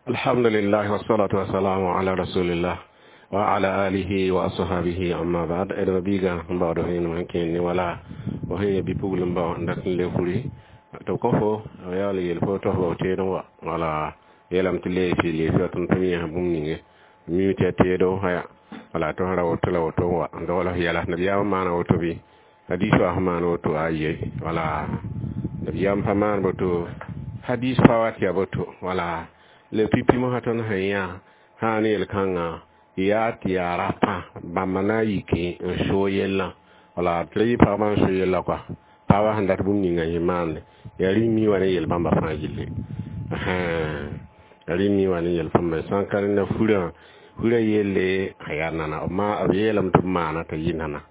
Alhamdulillah wassalatu wassalamu ala rasulillah wa ala alihi wa ashabihi, amma ba'd. Edma biiga n baood vẽenem sẽn kẽer ne wala fo sẽn yẽ bi-pugl n bao n dat n le furi tɩ b kõ fo b yaool n yeel fo tɩ f bao teedẽ wa. Wala yeelame tɩ leefi leefi wa tɩ m yẽs bũmb ninge mi tɩ ya teedo aya wala tɩ f ra woto la woto n wa n dogl f yɛla. Nabiyaam n maana woto bɩ hadis wa sẽn maan woto aye wala nabiyaam pa maan boto, hadis pa wa tɩ ya boto. Wala le pipi mosã tõnd sẽn yã sã ne yel-kãngã yaa tɩ yaa rapã bãmba na n yike n soog yellã. Wala tɩ ra yɩ pagba n so yella kɔa, pagba sẽn dat bũmb ninga yẽ maande yaa rĩm mi wa ne yel bãmba fãa gilli, yaa rĩm mi wa ne yel bãmba sã n ka rẽnda furã furã yelle a yaa nana b yeelame tɩ b maana t'a yɩ nana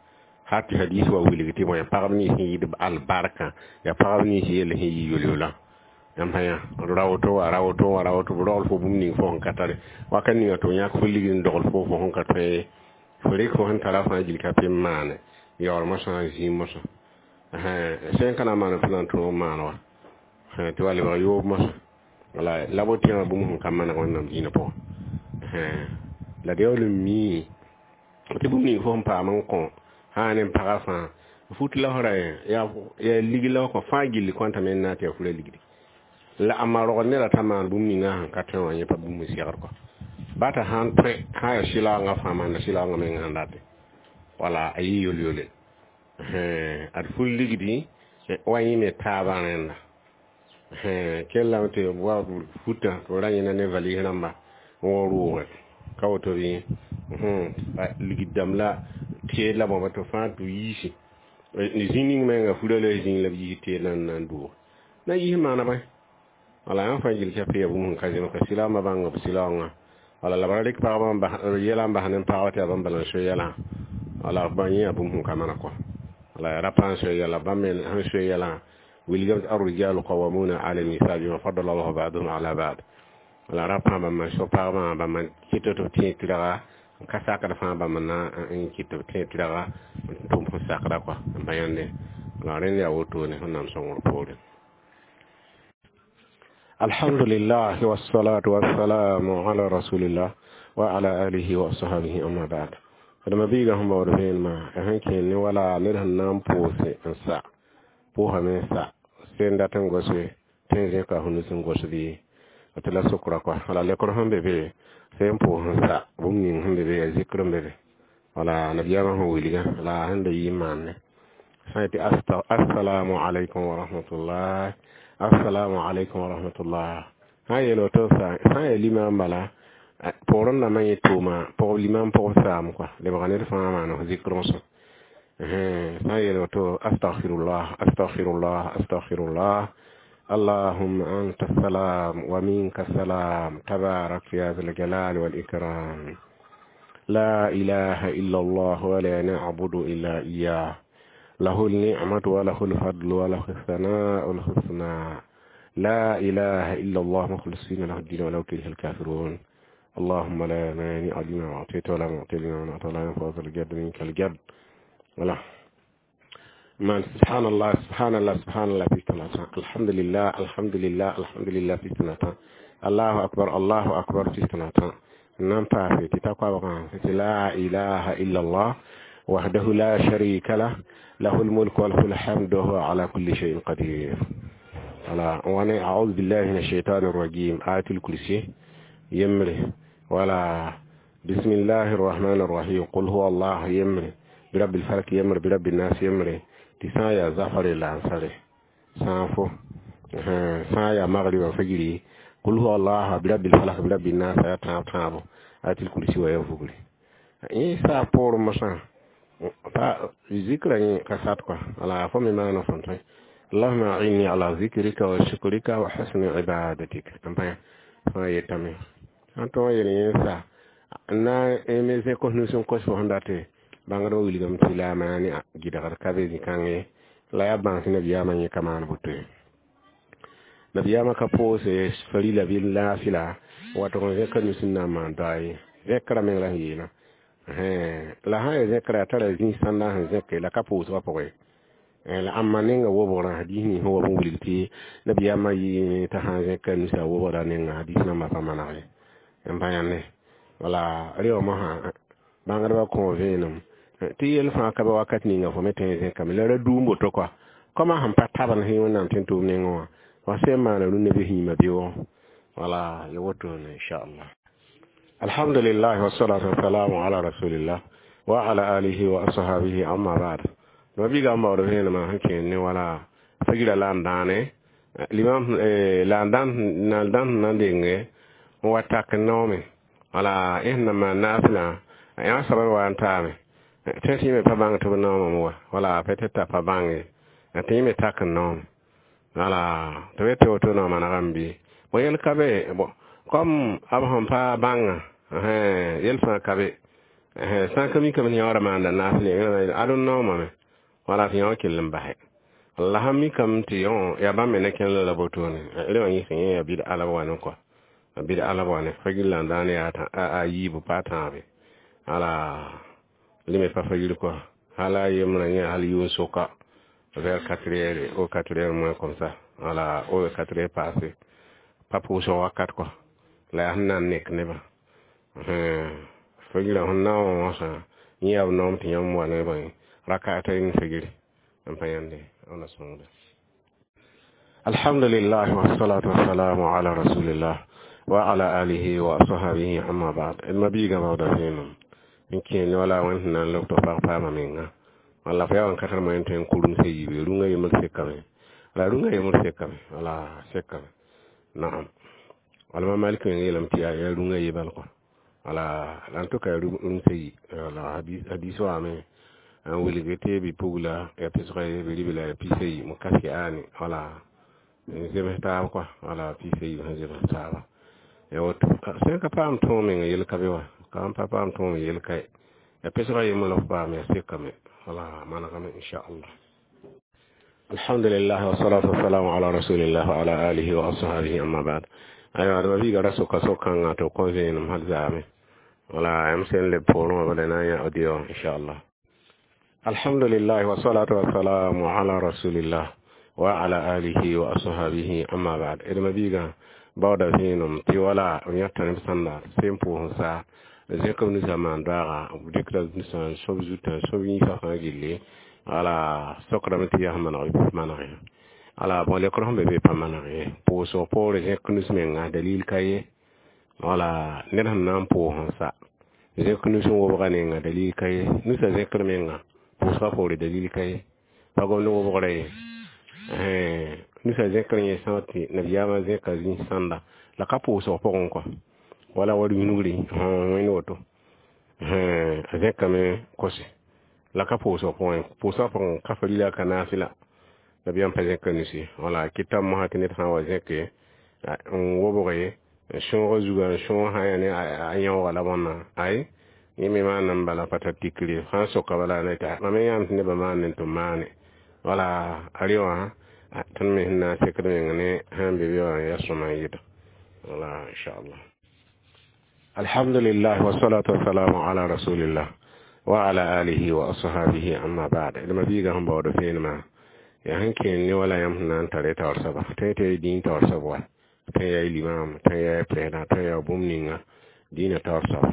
hal tɩ hadis wa wilg tɩ bõe pagb nins sẽn yɩɩd albarkã yaa pagb nins yell sẽn yɩ yol-yola. Yãmb sã yã ra woto wa ra woto wa ra woto b rogl fo bũmb ning fo sẽn ka tare wakat ninga tɩ f yãk fo ligd n dogl fo fo sẽn ka tõe ye fo rɩk fo sẽn tara fãa gil ka pẽ n maane yaool mosã zĩig mosã sẽn ka na n maan tɩ na n tõog n maan wa tɩ wa lebg yoob mosã. Wala la bo tẽegã bũmb sẽn ka maneg Wẽnnaam dĩinã pʋgẽ la d yaool n mii tɩ bũmb ning fo sẽn paam n kõ sã ne pagã fãa fut la f ra yaa lig la f kõ fãa gilli kõntame n na tɩ yaa furã ligdi la a ma rogd neda t'a maan bũmb ninga sẽn ka tõe wã yẽ pa bũmb n segd kɔ ba t'a sãn tõe sã yaa sɩlaoongã fãa maanda sɩlaoongã meng sẽn date wala a yɩ yol-yole ad fur ligdi wa yẽ me taabã rẽnda kellame tɩ wa futã tɩ b ra yẽna ne valɩs rãmba n wa rʋʋge ka woto bɩ ligd dãmb la teed la bõba tɩ fãa tɩ yiisi zĩ ning menga furã la zĩig la b yiis teed na n na n doog na yiis maana bõe. Wala yã fãa gil ka yaa bũmb sẽn ka zems ka sɩlaambã bãng b sɩlaoongã wala la b ra rɩk pagba yɛla n bas ne pagba tɩ yaa bãmb bala n soe yɛlã wala bã yẽ yaa bũmb sẽn ka mana kɔ wala yaa rapa n soe yɛla bãmb me sẽn soe yɛlã wilgame tɩ arrijalu qawamuna ala nisa bima fadala allahu ba'dahum ala ba'd. Wala rapa bãmb n so pagbã bãmb n kɩt tɩ b tẽ tɩrga n ka sakd fãa bãmb na n kɩt tɩ b tẽ tɩrga n tʋm sẽn sakda kɔa n pa yãnde. Wala rẽnd yaa wotone Wẽnnaam sõngr poore. Alhamdulillah wassalatu wassalamu ala rasulillah wa ala alihi wa ashabihi, amma ba'd. Adama biiga sẽn baood vẽenemã a sẽn kẽer ne wala ned sẽn na n pʋʋse n sa pʋʋsame n sa sẽn dat n gose tɩ n zẽka f nus n gos bɩ tɩ la sokra kɔa. Wala lekr sẽn be be sẽn pʋʋs n sa bũmb ning sẽn be be yaa zikr n be be wala nabiyaamã sẽn wilgã la sẽn da yɩ n maanne sã n yetɩ assalamu alaikum wa rahmatullah, assalamu alaikum wa rahmatullah sã n yeel woto sã n yaa limam bala pʋgr n dãmbã yẽ tʋʋma pʋgb limam pʋgb saam kɔa lebga ned fãa maan f zikr n sõ sã n yeel woto astaghfirullah, astaghfirullah, astaghfirullah, allahumma anta salam wa minka salam tabarak ya zal jalali wal ikram la ilaha illa allah wa la na'budu illa iyyah له النعمة وله الفضل وله الثناء الحسنى لا إله إلا الله مخلصين له الدين ولو كره الكافرون اللهم لا مانع لما أعطيت ولا معطي لما منعت ولا ينفع ذا الجد منك الجد. ولا من سبحان الله سبحان الله سبحان الله في ثلاثة الحمد لله الحمد لله الحمد لله في ثلاثة الله أكبر الله أكبر في ثلاثة نعم في تتقوى لا إله إلا الله وحده لا شريك له له الملك وله الحمد وهو على كل شيء قدير. ولا وانا أعوذ بالله من الشيطان الرجيم آية الكرسي يمري ولا بسم الله الرحمن الرحيم قل هو الله يمري برب الفلك يمري برب الناس يمري تسايا زفر الأنصار سانفو سايا مغرب وفجري قل هو الله برب الفلك برب الناس يتعب تعب آية الكرسي ويفقري إيه سابور مثلا pa zikra yẽ ka sat kɔa wala fo me maana fõn tõe allahuma inni ala zikrika wa shukrika wa husni ibadatik n pa fãa yetame sã n tõog yel yẽ sa na me zẽ kos nus n kos fo sẽn date bãngdbã wilgame tɩ la a maane gɩdgd ka be zĩ-kãng ye la yaa bãns nabiyaamã yẽ ka maan boto ye nabiyaamã ka pʋʋse farila bɩ laafɩla watg n zẽka nus n na n maan doa ye zẽkra meng la sẽn yeelã la sã n yaa zẽkra yaa tara zĩig sãndã sẽn zẽke la ka pʋʋsgã pʋgẽ La amma nenga wobgrã hadis ning sẽn wa b n wilg tɩ nabiyaamã yɩɩme t'a sã n zẽka nusa wobgrã nenga hadis nambã pa maneg ye n pa yãnde wala rẽ wã mosã bãngdbã kõ vẽenem tɩ yel fãa ka be wakat ninga fo me tõe n zẽkame la ra duum woto kɔa kɔma sẽn pa tabend sẽn Wẽnnaam tɩ n tʋʋm nengẽ wã wa sẽn maana rũnnã bɩ yĩmã beoogẽ wala ya wotone inchallah. Alhamdulillah, wassalatu wassalamu ala rasulillah wa ala alihi wa ashabihi, amma ba'd. Ma biiga n baood vẽenemã sẽn kẽer ne wala fagira la n dãane limam la n dãn na n dãn na n denge n wa tak n naoome wala ẽ sẽn na maan naafɩlã yã soab wa n taame tẽ tɩ yẽ me pa bãng tɩ b naoomame wa wala peut-être t'a pa bãnge tɩ yẽ me tak n naoome wala tɩ b tɩ woto na manegame bɩ bon yel ka be bon comme b sẽn pa bãnga yel fãa ka be sã n ka mikame tɩ yã wã maanda naafɩl ad n naoomame wala tɩ yã wã kell n basɛ la sãn mikame tɩ yaa bãmb me ne kẽnd la wotone rẽ wã yẽ yẽ yaa bɩd-a la b wa ne kɔa bɩd-a la b wa ne fagir la n daan yaa a yiibu pa a tãabe ala lime pa fagir kɔa hala yembrã yẽ hal yʋʋn soka vers 4 heures ou 4 heures moins comme ça, wala ou 4 heures passé pa pʋʋsg wakat kɔa la yaa sẽn na n nek nebã fagirã sẽn na n wã wãsã yẽ yaa b noom tɩ yãmb wa ne bõe rakatayn fagiri n pa yãnde wãnna sõngda. Alhamdulillah, wassalatu wassalamu ala rasulillah wa ala alihi wa ashabihi, amma ba'd. D ma biigã baooda vẽenem n kẽer ne wala wẽnd sẽn na n leb tɩ pag paama menga walla fo yaa wãn ka tar moyen tõe n kurum se yiibe rũngã yembr sekame la rũngã yembr sekame wala sekame naam wala ma Malik meng yeelame tɩ yaa rũngã ye bal kɔa wala la en tout cas rũng se yi wala hadis waame n wilg tɩ bi-pugla ya pesga ye bɩ ribla ya pis ayi mo kaske aane wala n zems taab kɔa wala pis ayi sẽn zems taaba ya woto sẽn ka paam tõog menga yel ka be wa ka n pa paam tõog yel ka ye ya pesga yembr la f paam ya sekame wala manegame inchallah. Alhamdulillah, wassalatu wassalamu ala rasulillah wa ala alihi wa ashabihi, amma ba'd. Aywa d ma biiga ra soka so-kãngã tɩ b kõ vẽenem hal zaame wala yãmb sẽn leb poorẽ wã bala na n yã audio inchallah. Alhamdulillah, wassalatu wassalamu ala rasulillah wa ala alihi wa ashabihi, amma ba'd. D ma biigã baooda vẽenem tɩ wala b yãta neb sãnda sẽn pʋʋs n sa zẽk b nusã maan daaga b dɩkda nusã n sob zutã n sob yĩnsã fãa gilli wala sokdame tɩ yaa maneg bɩ maneg ye ala bon lekr sẽn be be pa maneg ye pʋʋsg poore zẽk nus menga dalil ka ye wala ned sẽn na n pʋʋs n sa zẽk nus n wobga nenga dalil ka ye nusã zẽkr menga pʋʋsga poore dalil ka ye pa gomd wobgrã ye nusã zẽkr yẽ sã tɩ nabiyaamã zẽka zĩis sãnda la ka pʋʋsg pʋgẽ kɔa wala wa rũnugri wẽnd woto a zẽkame kose la ka pʋʋsg pʋgẽ pʋʋsga pʋgẽ ka farila ka naafɩla nabiyaam pa zẽka nusi wala kɩta mosã tɩ ned sã n wa zẽke n wobge n sõog zuga n sõog sã yaa ne a yãooga la bõnna ay yẽ me maana n bala pa tar tikre sã n soka bala ne tɩ mam me yãam tɩ nebã maan ne tɩ b maane wala a rẽ wã tõnd me sẽn na n sekd meng ne sãn be be wã yaa sõma n yɩta wala inchallah. Alhamdulillah, wassalatu wassalamu ala rasulillah wa ala alihi wa ashabihi, amma ba'd. D ma biiga sẽn baood vẽenemã yaa sẽn kẽer ne wala yãmb sẽn na n tara taoor soaba tõe tɩ dĩin taoor soab wa tõe yaa limam tõe yaa président tõe yaa bũmb ninga dĩinã taoor soaba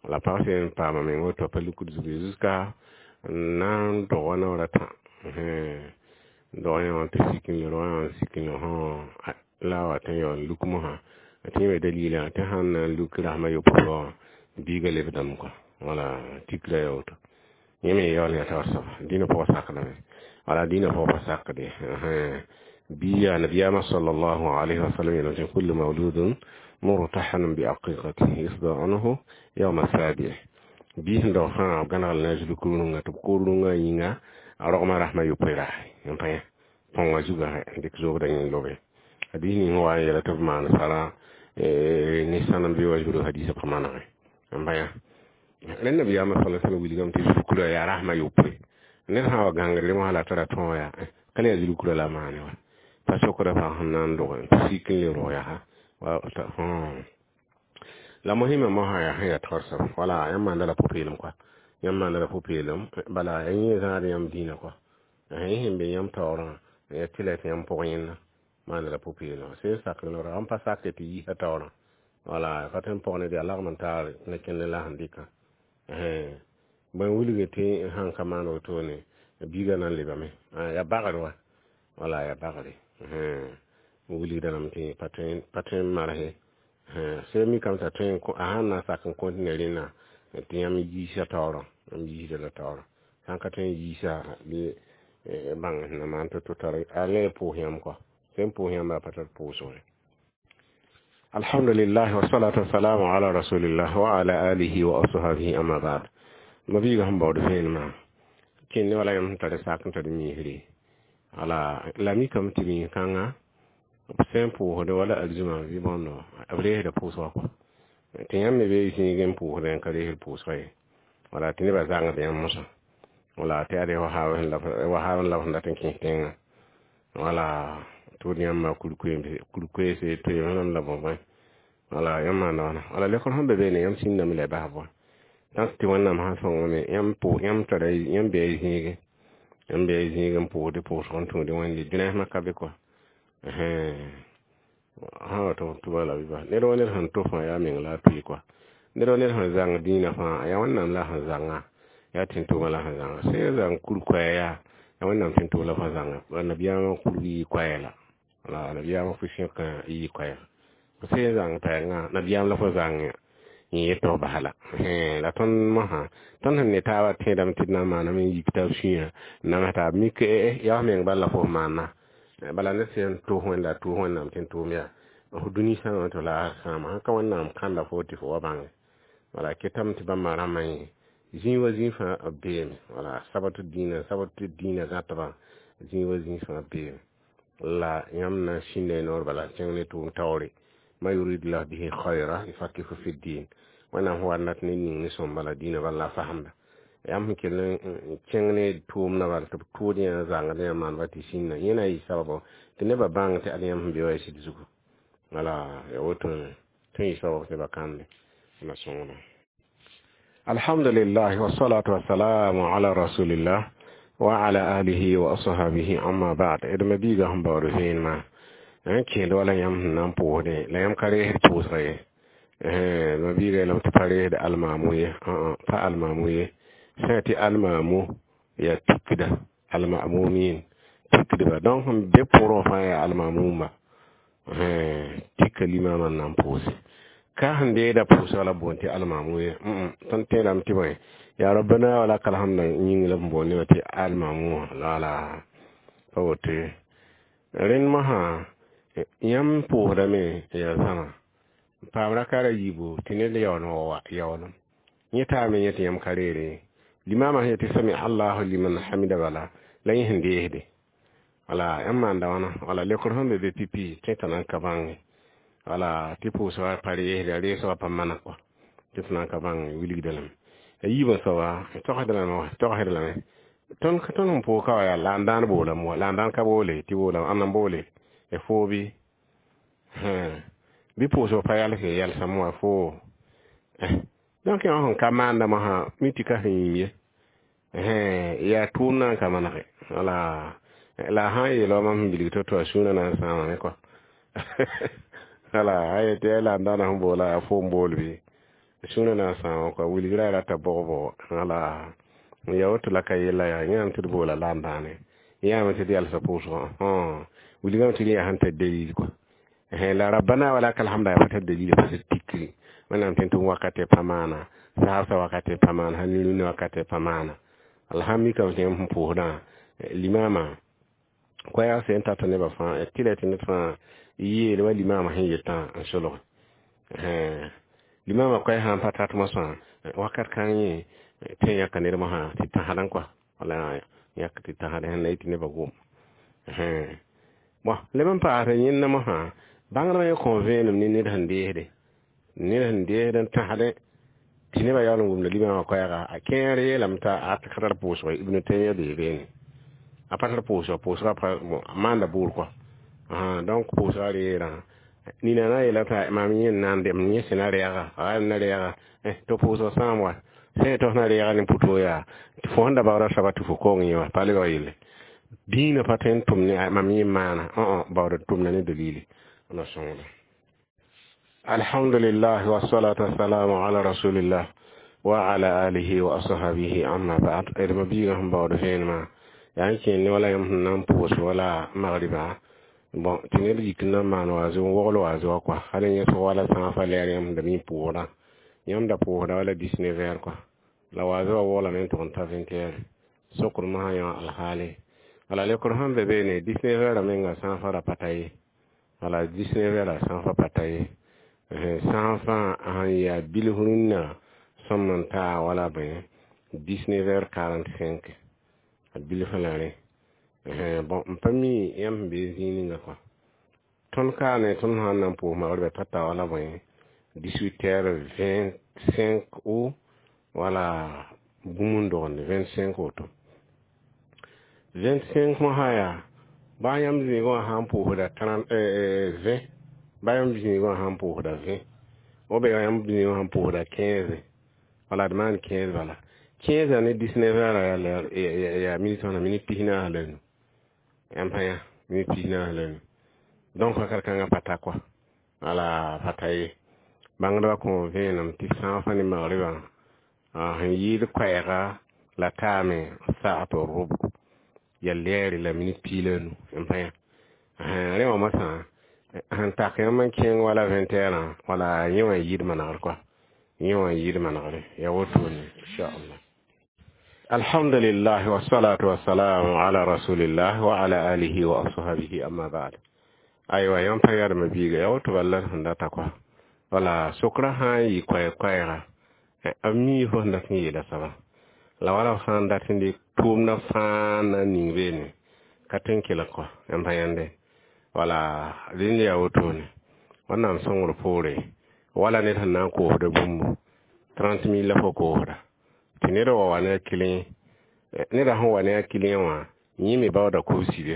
la pag sẽn paama meng woto pa lukd zug jusqu'à n na n dog wa naoor a tã dog yã wã tɩ sik n le rog yã wã sik n le la a wa tɩ n yaool n luk mosã tɩ yẽ me dalila tɩ sãn na n luk rasmã yopoe wã biiga lebdame kɔa wala tikra ya woto yẽ me yaool yaa taoor soaba dĩnã pʋgã sakdame wala dĩnã pʋgã pa sakde bi yaa nabiyaamã sallallahu alayhi wa sallam yeelame tɩ kullu mawludun murtahanun bi aqiqatihi yusda anhu yawma sabi bii sẽn dog fãa b gãneg la na zulk rũngã tɩ b koor rũngã yĩnga a rogmã rasmã yopoe raase n pa yã põngã zugã n dɩk zoobdã yẽ lobe hadis ning wa n yeela tɩ b maan sara ne sãnem bɩ wa zugr hadisã pa manege n pa yã rẽnd nabiyaamã sala sallam wilgame tɩ zulkurã yaa rasmã yopoe ned sã n wa gãngd mosã la tara tõog yaa ka le yaa zulkurã la maane wa pa sokda pag sẽn na n dog tɩ sik n le rog yaa la mosɩma mosã yaa sẽn yaa taoor soaba wala yãmb maanda la pʋ-peelem kɔa yãmb maanda la pʋ-peelem bala yẽ zãad yãmb dĩinã kɔa Yẽ sẽn be yãmb taoorã yaa tɩ la tɩ yãmb pʋg yẽnda maanda la pʋ-peelem sẽn sakr noorã n pa sakre tɩ yiisa taoorã wala pa tõe n pɔg ned yaa lagem n taar ne kẽnd la sẽn dɩka bõe wilg tɩ sãn ka maan wotone biigã na n lebame yaa bagr wa wala yaa bagre n wilgda lame tɩ pa tõe n marse sẽn mikame t'a tõe a sãn na n sak n kõtine rẽnna tɩ yãmb yiisa taoorã yãmb yiisda la taoorã sãn ka tõe n yiisa bɩ bãng sẽn na maan to-to tar a le pʋʋs yãmb kɔa sẽn pʋʋs yãmb a pa tar pʋʋsg ye. Alhamdulillah wassalatu wassalamu ala rasulillah wa ala alihi wa ashabihi amma ba'd. Ma-biigã sẽn baood vẽenemã kẽnd wala yãmb sẽn tar sak n tar miisre wala la mikame tɩ miis-kãngã b sẽn pʋʋsd wala arzũmã bɩ bõndo b reesda pʋʋsgã kɔ tɩ yãmb me bee zĩig n pʋʋsdẽ n ka reesd pʋʋsga ye wala tɩ nebã zãngd yãmb mosã wala tɩ ade wa la b sẽn dat n kẽes tẽngã wala tʋʋd yãmba kurkoeese toeem la bõe wala yãmb maanda wãna wala lekr sẽn be beene yãmb sĩndame la y bas bõe tãk tɩ Wẽnnaam sã sõngame yãmb pʋʋs yãmb tara yãmb bɩ zĩige yãmb bɩ zĩig n pʋʋsd pʋʋsg n tũud Wẽnde dũnasmã ka be kɔa sã wa tɩ bala bɩ bas ned wa ned sẽn to fãa yaa meng la a tʋɩ kɔa ned wa ned sẽn zãng dĩinã fãa yaa Wẽnnaam la sẽn zãnga yaa tẽn-tʋʋmã la sẽn zãnga sẽn zãng kur-koɛɛ yaa yaa Wẽnnaam tẽn-tʋʋm la fo zãnga nabiyaamã kurg yɩ koɛɛ la wala nabiyaamã fu-sẽkã yɩ koɛɛga fo sẽn zãng pɛɛngã nabiyaam la fo zãng yẽ yetɩ f bas la la tõnd mosã tõnd sẽn ne taabã tẽedame tɩ d na n maaname n yik taab sũyã n nams taab mik yaa f meng bal la fo f maana bala ned sẽn tʋʋs Wẽnda a tʋʋs Wẽnnaam tẽn-tʋʋm yaa f dũni sãama tɩ la sãama sãn ka Wẽnnaam kãnda fo tɩ fo wa bãnge wala ketame tɩ bãmba rãmbã yẽ zĩig wa zĩig fãa b beeme wala sabat dĩinã sabat dĩinã gãtbã zĩig wa zĩig fãa beeme la yãmb na n sĩnda y noor bala n kẽng ne tʋʋm taoore ma yuridullah bihi khayra yufaqihu fi ddin Wẽnnaam sẽn wa n dat ne ning ne sõmba la dĩinã bala la a fasemda yãmb sẽn kell n kẽng ne tʋʋmdã bala tɩ b tʋʋd yã zãngd yã maanba tɩ sĩnda yẽ na n yɩ sababo tɩ nebã bãng tɩ ad yãmb sẽn be wa ya sɩd zugu wala ya wotone tõe n yɩ sabab tɩ nebã kãnde na sõngda. Alhamdulillah wassalatu wassalamu ala rasulillah wa ala alihi wa ashabihi amma ba'd. D ma-biigã sẽn baood vẽenemã n kẽed wala yãmb sẽn na n pʋʋsdẽ la yãmb ka reesd pʋʋsga ye ma-biigã yeelame tɩ pa reesd almaamu ye pa almaamu ye sã tɩ almaamu yaa tikda almamumin tikdba donc sẽn be pʋrẽ fãa yaa almamumba tika limaamã n na n pʋʋse ka sẽn deeda pʋʋsga la boond tɩ almamu ye tõnd tẽedame tɩ bõe yaa rabbana wa lakal hamda yĩng la b boond nebã tɩ almamu wã la pa woto ye rẽnd mosã yãmb pʋʋsdame yaa zãma n paam raka ra yiibu tɩ ned yaool wa yaoolem yẽ taame yẽ tɩ yãmb ka reere limaamã sẽn yetɩ sami allahu liman hamida bala la yẽ sẽn deesde wala yãmb maanda wãna wala lekr sẽn be be pipi tõe t'a nan ka bãnge wala tɩ pʋʋsga pa reesde a reesgã pa mana kɔa tɩ tɩ nan ka bãng wilgda lame a yiibã soaba togsda lame togsd lame tõnd sẽn pʋʋs ka wa yaa la n dãan boolame wa la n dãan ka boole tɩ boolame ãnda n boole y foo bɩ bɩ pʋʋsg pa yals yalsame wa foo donc yã sẽn ka maanda mosã mi tɩ ka sẽn yĩm ye yaa tʋʋm na n ka manege wala la sã n yeela wa mam sẽn bilg to-to a sũurã na n sãamame kɔa wala a yetɩ yaa la n dãana sẽn boola a fo n bool bɩ sũurã na n sãama kɔa wilgra rata bog-bog wala ya woto la ka yella yaa yãame tɩ d boola la n dãane yãame tɩ d yalsa pʋʋsgã wilgame tɩ yaa sẽn tar dalil kɔa la rabbana wa lakal hamda yaa pa tar dalil pa tikri Wẽnnaam tẽn-tʋm wakatɛ pa maana saabsã wakatɛ pa maana sã nirũni wakatɛ pa maana alhamdulillah mikame tɩ yãmb sẽn pʋʋsdã limaamã koɛɛg sẽn tata nebã fãa tɩ la tɩ ned fãa yeel wa limaamã sẽn yetã n solge limaamã koɛɛ sã n pa tat mosã wakat kãng yẽ tõe n yãka ned mosã tɩ tãsdã kɔa wala yãk tɩ tãsd sẽn na yɩ tɩ nebã gom bõn leb n paasd yẽnda mosã bãngdmã yẽ kõ vẽenem ne ned sẽn deesde ned sẽn deesd n tãsdẽ tɩ nebã yaool n wʋmda limaamã koɛɛga a kẽer yeelame t'a a ka tar pʋʋsg Ibn Taymiya bee beene a pa tar pʋʋsg pʋʋsga pa maanda bʋʋr kɔa donc pʋʋsga reerã nina na yeela t'a mam yẽ n na n dem yẽ sẽn na rɛɛga a na rɛɛga tɩ pʋʋsg sãam wa sẽn tɩ f na rɛɛga ne pʋtoo yaa tɩ fo sẽn da baoora soaba tɩ fo kong yẽ wa pa lebg yelle Dĩinã pa tõe n tʋm ne mam yẽ maana baood n tʋmda ne dalili na sõngda. Alhamdulillah wassalatu wassalamu ala rasulillah wa ala alihi wa ashabihi, amma ba'd. D ma biigã sẽn baood vẽenemã yaa n kẽer ne wala yãmb sẽn na n pʋʋs wala magriba. Bon, tɩ ned yik n na n maan wa n wogl wa wa kɔa hal n yẽsg wala sãafã lɛɛr yãmb sẽn da mi pʋʋsdã. Yãmb da pʋʋsda wala 19 heures kɔa, la wa wã woglame n tʋg n ta 20 heures. Sokr mosã yã alhaale wala lekr sẽn be beene 19 heures menga sãafã ra pa ta ye. Wala 19 heures sãafã pa ta ye. Sãafã sẽn yaa bilf rũnnã sõm n taa wala bõe 19 heures 45 a bilfã la rẽ. Bon, n pa mi yãmb sẽn be zĩig ninga kɔa. Tõnd kaa ne tõnd sã n na n pʋʋs magrɩbã pa ta wala bõe 18 heures 25 ou wala bũmb n dogende 25 woto. 25 mosã yaa baa yãmb zĩigã wã sã n pʋʋsda 30 20, baa yãmb zĩigã wã sã n pʋʋsda 20 ou bien yãmb zĩigã wã sã n pʋʋsda 15, wala d maan 15 bala. 15 ne 19 heures yaa minit wãna? Minit 45 la nu. Yãmb sã yã minit 45 la nu. Donc wakat kãngã pa ta kɔa, wala pa ta ye. Bãngdbã kõ vẽenem tɩ sãafã ne magrɩbã sẽn yɩɩd koɛɛga la taame saat rʋb ya lɛɛre la minit 15. Yãmb sã yã rẽ wã mosã sẽn tak yãmb n kẽng wala 20 heures, wala yẽ wã yɩɩd manegr kɔa, yẽ wã yɩɩd manegre ya wotone, inchallah. Alhamdulillah wassalatu wassalamu ala rasulillah wa ala alihi wa ashabihi, amma ba'd. Aywa, yãmb pa yadma biiga ya woto bala sẽn data kɔa. Wala sokra sã n yɩ koɛɛ-koɛɛga b mi fo sẽn dat n yeela soaba la wala f sã n dat n dɩk tʋʋmdã fãa na n ning beene ka tõe n kelg kɔa. Yãmb pa yãnde wala rẽnd yaa wotone. Wẽnnaam sõngr poore wala ned sẽn na n koosda bũmbu 30 mille la fo koosda tɩ ned wa wa ne a client, neda sẽn wa ne a client wã yẽ me baooda kobsi be,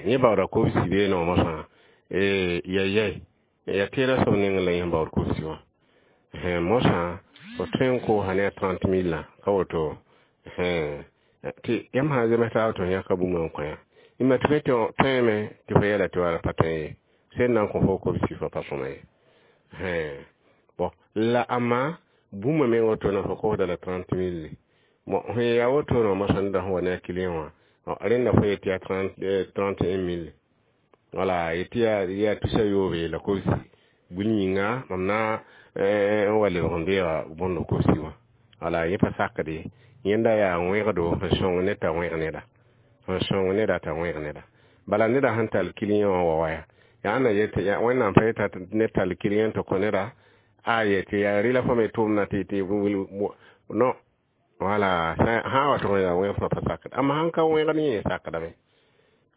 yẽ baooda kobsi beene wã mosã ya yɛi ya teeda soab nengẽ la yẽ baood kobsi wã. Mosã fo tõe n koosa ne a 30 mille ka woto tɩ yãmb sã n zems taab tɩ f yãka bũmb n kõ yã y tɩ fo tõeme tɩ fo yɛla tɩ wala pa tõe ye sẽn na n kõ fo kobsi fo pa sõma ye. Bon, la amma bũmba meng wotone fo koosda la 30 mille. Bon, sẽn yaa wotone wã mosã neda sẽn wa ne a client wã rẽnda fo yetɩ yaa 31 mille, wala yetɩ yaa tusa yoobe la kobsi bũn yĩnga mam na n wa lebg n deega bõndo kobsi wã. Wala yẽ pa sakde yẽnda yaa wẽgdo sẽn sõng ned t'a wẽg neda, sẽn sõng neda t'a wẽg neda. Bala neda sẽn tall client wã wa waya yaa na yetɩ Wẽnnaam pa yeta ned tall client tɩ kõ neda a yetɩ yaa rɩla fo me tʋʋmda tɩ non. Wala sã wa tʋg n yaa wẽg fõ pa sakd, amma sãn ka wẽgd yẽ sakdame,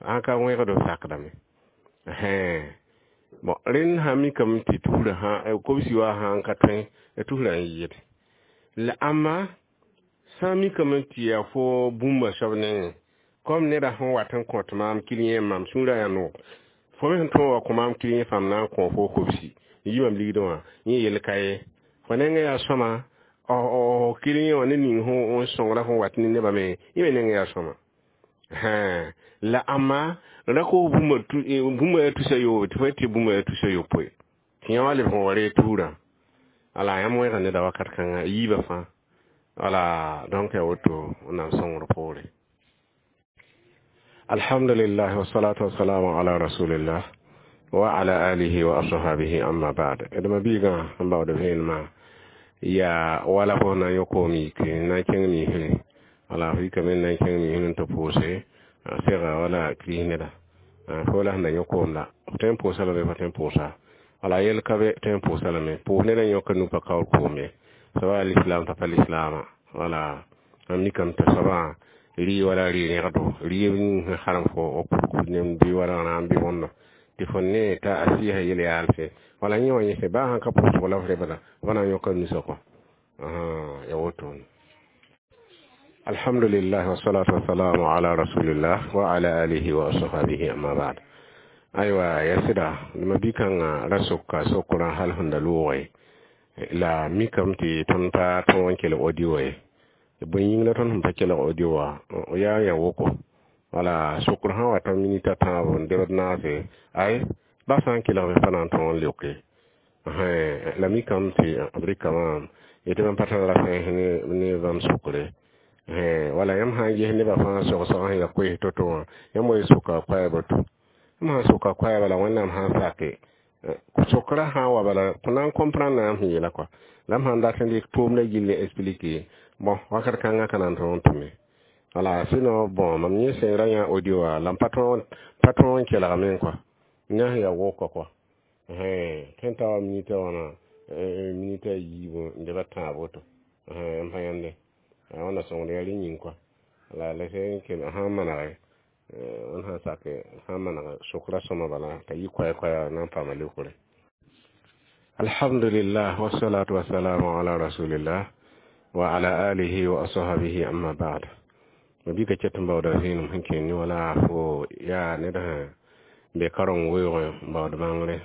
sãn ka wẽgdo sakdame. Bon, rẽnd sã mikame tɩ tusrã sã kobsi wã sã n ka tõe tusrã n yɩɩd la amma sã n mikame tɩ yaa fo bũmba soab nengẽ comme neda sẽn wat n kõt maam client mam sũurã yaa noog fo me sẽn tõog wa kõ maam client fãam na n kõ fo kobsi n yi mam ligdẽ wã yẽ yel ka ye fo nengẽ yaa sõma client wã ne ning n sõngra fõ wat ne nebã me yẽ me nengẽ yaa sõma. La amma ra koos bũmba yaa tusa yoobe tɩ fo yet tɩ bũmba yaa tusa yopoe tɩ yã wa lebg n wa ree tuurã. Wala yãmb wẽega neda wakat kãnga yiibã fãa. Wala donc yaa woto Wẽnnaam sõngr poore. Alhamdulillah wassalatu wassalamu ala rasulillah wa ala alihi wa ashabihi, amma ba'd. D ma biigã sẽn baood vẽenemã yaa wala fo na n yõ koom yik na n kẽng niisre. Wala f yikame n na n kẽng niisr n tɩ pʋʋse sega wala kris neda fo la sẽn da yõ koom la f tõe n pʋʋsa lame, fa tõe n pʋʋsa wala yel ka be tõe n pʋʋsa lame. Pʋʋs ned n yõka nu pa kaoor koom ye soaba lislaam t'a pa lislaama. Wala n mikame tɩ soabã rɩ wala rɩ rẽgdo rɩɩb ning sẽn harem fo wa kurkur nem bɩ wala rãam bɩ bõndo tɩ fo ne t'a a sɩɩsã yel yaalse wala yẽ wã yẽse baa sãn ka pʋʋsg la f rebda f na n yõka nusa kɔ ya wotone. Alhamdulillah wassalatu wassalamu ala rasulillah wa ala alihi wa ashabihi, amma ba'd. Aywa, ya sɩda ma bi-kãngã ra soka sokrã hal sẽn da loogẽ la mikame tɩ tõnd pa tõog n kelg audio ye. Bõe yĩng la tõnd sẽn pa kelg audio wã yaa ya woko. Wala sokr sã n wa ta minita tãabo n debd naase, ay ba sã n kelgme pa na n tõog n leoke. La mikame tɩ b rɩka maam yetɩ bãmb pa tar rasẽns ne bãmb sokre. Wala yãmb sã n ges nebã fãa sogsg sẽn ya koees to-to wã, yãmb wa soka koɛɛg woto. Yãmb sã n soka koɛɛga la Wẽnnaam sã n sake sokra sã n wa bala fo na n comprendre yãmb sẽn yeela kɔa. La m sãn dat n dɩk tʋʋmdã gill n expliquer, bon, wakat kãngã ka na n tõog n tʋme. Wala sinon, bon, mam yẽ sẽn ra yã audio wã la m pa tõog n kelgame kɔa. Yã sẽn yaa wʋka kɔa. Tõe n ta wa minita wãna, minita a yiibu n deba tãab woto. M pa yãnde. Wẽnna sõngd yaa rẽ yĩng kɔa. La la sẽn kell sã n manege, wẽnd sã n sake sã n maneg sokra sõma bala t'a yɩ koɛɛ-koɛɛga na n paama leokre. Alhamdulillah, wassalatu wassalamu ala rasulillah wa ala alihi wa ashabihi, amma ba'd. Ma bika ket n baooda vẽenem sẽn kẽer ne wala fo yaa ned sẽn be kareng weoogẽ n baood bãngre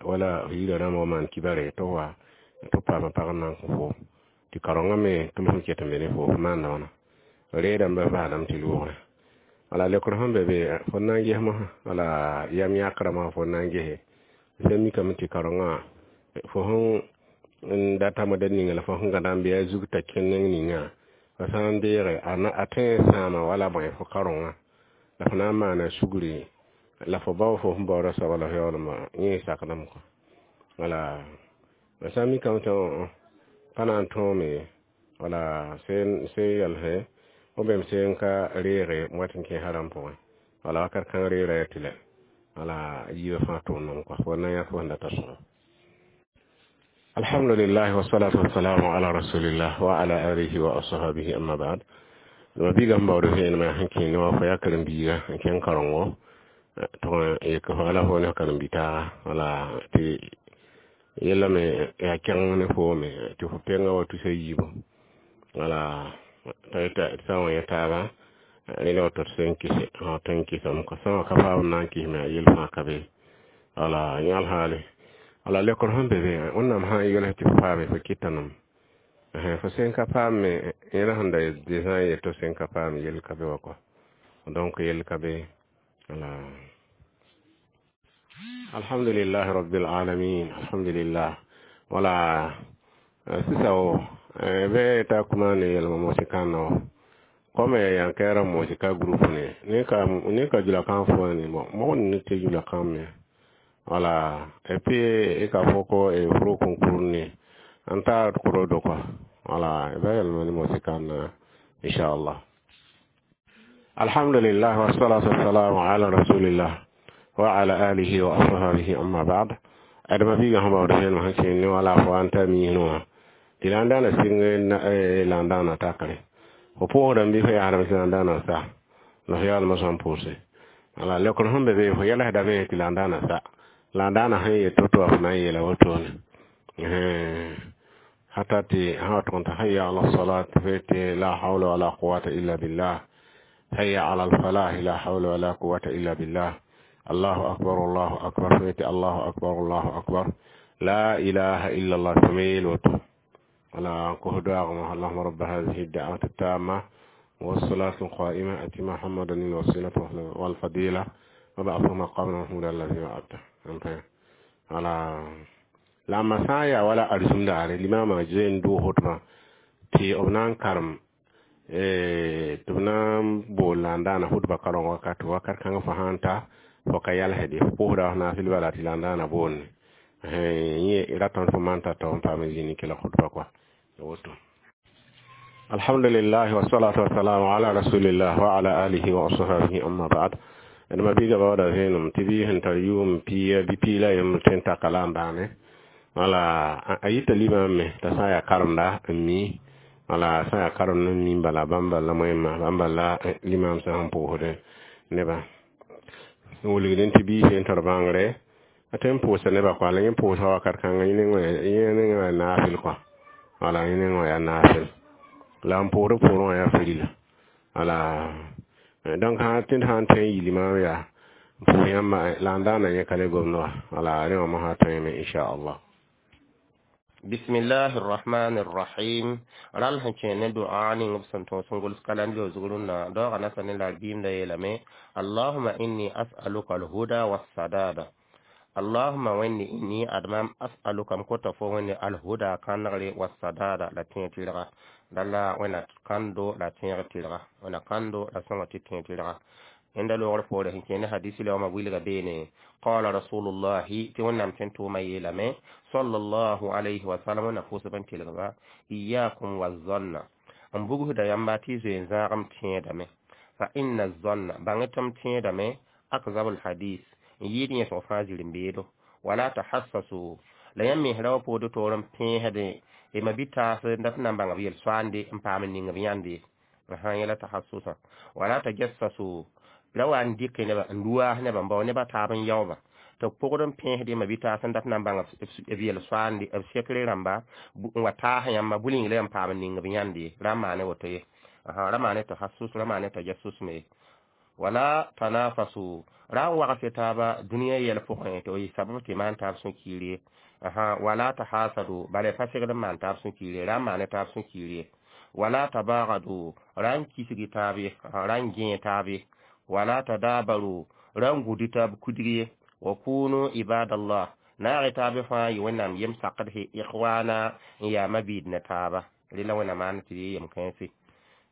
wala yirã rãmb wa maan kibare tɩ wa tɩ paama pag n na n kõ fo tɩ karengã me tɩ m sẽn ket n be ne fo, fo maanda wãna reedãmbã baasdame tɩ loogre. Wala leokr sẽn be be fo na n ges mosã, wala yam yãkrã mosã fo na n gese sẽn mikame tɩ karengã fo sẽn data moda ninga la fo sẽn gãda n be a zug t'a kẽ neng ninga fo sã n deege a tõe n sãama wala bõe fo karengã la fo na n maana sugri la fo bao fo sẽn baooda soaba la fo yaoolem yẽ sakdame kɔa. Wala sã n mikame tɩ pa na n tõome, wala sẽn yɛlse b bem sẽn ka reege n wat n kẽ haram pʋgẽ, wala wakat kãng reera yaa tɩ lɛ, wala yiibã fãa tʋʋmdame kɔa, fo na n yã fo sẽn data sõsgo. Alhamdulillah, wassalatu wassalamu ala rasulillah wa ala alihi wa ashabihi, amma ba'd. Ma biiga sẽn baood vẽenemã sẽn kẽ ne wã fo yaa karen-biiga n kẽng karengo tɩg n yek fo la fo ne karen-bi-taaga, wala tɩ yella me yaa kẽng ne foome tɩ fo penga wa tusa yiibu, wala t'a sã n wa yã taaba rẽla woto tɩ sẽn kɩse tõe n kɩsame kɔa. Sã n wa ka paam n na n kɩsme a yel fãa ka be. Wala yãl haale wala leokr sẽn be be, Wẽnnaam sã n yels tɩ fo paame, fo kɩta nem. Fo sẽn ka paame, yẽla sẽn da sã n yet tɩ sẽn ka paam yell ka be wa kɔa. Donc yell ka be. Wala alhamdulillahi rabbil alamin, alhamdulillah. Wala sisa o bɩ ta kuma ne yɛlma mosi kãnna wa comme yan kɛra mosi ka groupe ne ne ka jula kan fo ni bon mɔgɔ ni tɛ jula kan mɛn. Wala et puis i ka fɔ ko furu concours ni an t'a kɔrɔ dɔ quoi. Wala i b'a yɛlɛma ni mosi kan na, inshallah. Alhamdulillah, wassalatu wassalamu ala rasulillah wa ala alihi wa ashabihi, amma ba'd. Adama biga sẽn baood vẽenem sẽn kẽer ne wala fo an ta miisẽ wã tɩ la n daana sɩng la n daana takre fo pʋʋsdame bɩ fo yaasdame tɩ la n daana sa la fo yaoolmã sã n pʋʋse. Wala leokr sẽn be be fo yɛlsdame tɩ la n daana sa la n daana sẽn yet to-to wã fo na n yeela wotone hata tɩ sã wa tʋg n t'a hayya ala salat fo yetɩ la hawla wala quwata illa billah, hayya ala alfalah, la hawla wala quwata illa billah, allahu akbar, allahu akbar, fo yetɩ allahu akbar, allahu akbar, la ilaha illa allah, fo me yeel woto. Wala ko doagma allahuma rabba hadihi da'wati tamma والصلاة القائمة أتي محمدا الوسيلة والفضيلة وبعثه مقاما محمودا الذي وعدته. Wala la ma sã n yaa wala arzũm daare limama zoe n doog hotmã tɩ b na n karem tɩ b na n bool la n daana hutba kareng wakat wakat kãngã fo sã n ta fo ka yalsde fo pʋʋsda f naasl bala tɩ la n daana boonde yẽ ratame fo maan t'a tao n paam n zĩnd n kelg hutba kɔa woto. Alhamdulillah, wassalatu wassalamu ala rasulillah wa ala alihi wa ashabihi, amma ba'd. D ma biiga baooda vẽenem tɩ bɩ sẽn tar yʋʋm pia bɩ piig la yemb tõe n taka la n bãane. Wala a yita limam me t'a sã n yaa karemda n mi, wala sã n yaa karemd n mi bala bãmb bala moẽmã bãmb bala limam sã n pʋʋsd nebã n wilgdẽ tɩ biis sẽn tar bãngre a tõe n pʋʋsa nebã kɔa. La yẽ pʋʋsga wakat kãngã yẽ neng wã yaa naafɩl kɔa. Wala yẽ neng wã yaa naafɩl la n pʋʋsd pʋʋrẽ wã yaa firila. Wala donc sã tɩ sã n tõe n yi limam yaa n pʋʋs yãmba la n daana yẽ ka le gomd wã. Wala rẽ wã mosã tõeme, inchallah. Bismillahi rrahmani rrahim. Rãll sẽn kẽ ne dua ning b sẽn tõos n gʋls kalam zug rũnnã daoogã nasa ne la biimda yeelame: Allahuma inni as'aluka alhuda wassadada. Allahuma wẽnde, inni admam, as'aluka m kota fo wẽnde, alhuda kãnegre, wassadada la tẽeg tɩrga. Dala wẽnna kãndo la tẽeg tɩrga, wẽnna kãndo la sõnga tɩ tẽeg tɩrga. Yẽnda loogr poore sẽn kẽ ne hadisi la wãma wilga beene: qala rasulullahi, tɩ wẽnnaam tõe n tʋʋma yeelame, sallallahu alayhi wa sallam, wẽnna pʋʋsb n tɩlgba: iyakum wazanna, n bugsda yãmba tɩ y zoe n zãagem tẽedame, fa inna zanna, bãng tɩ m tẽedame, akzabul hadis, n yɩɩd yẽsg fãa zirẽ-beedo. Wala tahassasu, la yãmb mens ra wa pood toor n pẽesde y ma bɩ-taas n dat n na n bãng b yel-soaande n paam n ning b yãnde yẽla tahassusã. Wala tajassasu, ra wa n dɩk neba n luaas nebã n bao neba taab n yaooba tɩ b pʋgd n pẽesd ma bɩ-taas n dat n na n bãng b yel-soaande b sekre rãmba n wa taas yãmba bʋ-ning la yãmb paam n ning b yãnde. Ra n maane woto ye, ra maane tahassus, ra maane tajassus me. Wala tanafasu, ra n wagse taaba dũniyã yɛl pʋgẽ tɩ y sabab tɩ maan taab sũ-kiir ye. Wala tahasadu, bala pa segd n maan taab sũ-kiir ye, ra n maane taab sũ-kiir ye. Wala tabagadu, ra n kisgi taab ye, ra n gẽe taab ye. Wala tadabaru, ra n gʋd taab kudg ye. Wa kunu ibadallah, naag taab fãa yɩ wẽnnaam yem sakdse, ikhwana, n yaa mabiid ne taaba. Rela wẽnna maan tɩ yem kãense.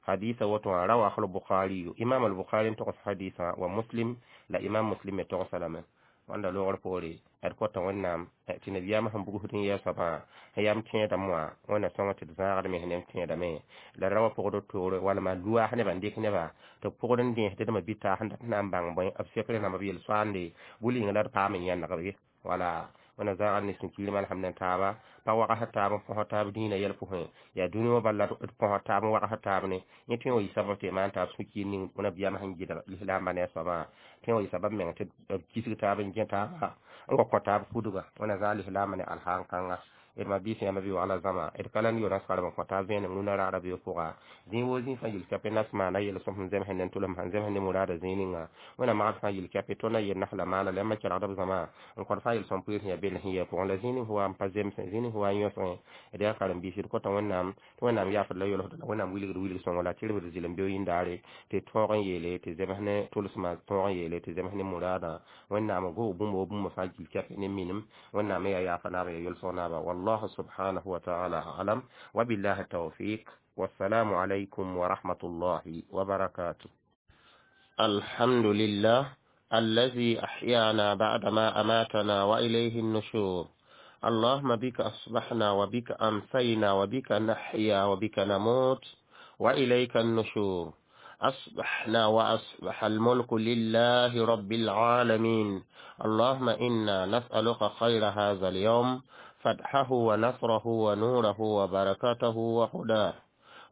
Hadisa woto wã rawahu al-bukhari, imam al-bukhari n togs hadisa, wa Muslim, la imam Muslim me togsa lame. Wãnda loogr poore d kota wẽnnaam tɩ nabiyaamã sẽn bugsd n yɛɛ soabã sẽn yam tẽedame wã, wẽnna sõnga tɩ d zãagd me sẽn tẽedame la ra wa pʋgd toore walma luaas nebã n dɩk nebã tɩ b pʋgd n dẽesd dma bɩ-taas n dat n na n bãng bõe b sekre rãmba b yel-soaande bʋ-ling la d paam n yãnegb ye. Wala wẽnna zãagd ne sũ-kiir malsem ne taaba, pa wagsd taab n põs taab dĩinã yɛl pʋgẽ yaa dũni wã bala d põs taab n wagsd taab ne yẽ tõe n wa yɩ sabab tɩ maan taab sũ-kiir ning nabiyaamã sẽn gɩdg lislaambã ne a soabã tõe n wa yɩ sabab meng tɩ b kisg taab n gẽ taaba n wa kõ taab kudga. Wẽnna zãag lislaambã ne alhaan kãnga. D ma biis yãmb bɩ wagla zãma d ka la n yo naskarem n kõ taab vẽenem rũnã raara beo pʋga. Zĩig woo zĩig fãa yil kɛpɩ nas maana yel-sõm sẽn zemsẽ ne tʋlem sẽn zemsẽ ne muraada zĩig ninga. Wẽnna magd fãa yil kɛpɩ tõnd a yel nasla maana la yãmba kelgd b zãma n kõd fãa yel-sõm pʋɩɩs sẽn yaa bell sẽn yɛ pʋgẽ la zĩig ning wa n pa zemsẽ, zĩig ning wa n yõsgẽ. D yaa karen-biisi, d kota Wẽnnaam tɩ Wẽnnaam yaafd la yolsd la Wẽnnaam wilgd wilg sõngo la tɩrbd zɩlem beo yĩndaare tɩ tõog n yeele tɩ zems ne tʋlsmã, tõog n yeele tɩ zems ne muraadã. Wẽnnaam goog bũmb wo bũmb fãa gil kɛpɩ ne minim. Wẽnnaam yaa yaafa naaba yaa yolsg naaba. Wallahu subhanahu wa ta'ala a'lam, wa billahi tawfiq, والسلام عليكم ورحمة الله وبركاته. الحمد لله الذي أحيانا بعدما أماتنا وإليه النشور. اللهم بك أصبحنا وبك أمسينا وبك نحيا وبك نموت وإليك النشور. أصبحنا وأصبح الملك لله رب العالمين. اللهم إنا نسألك خير هذا اليوم، فتحه ونصره ونوره وبركته وهداه،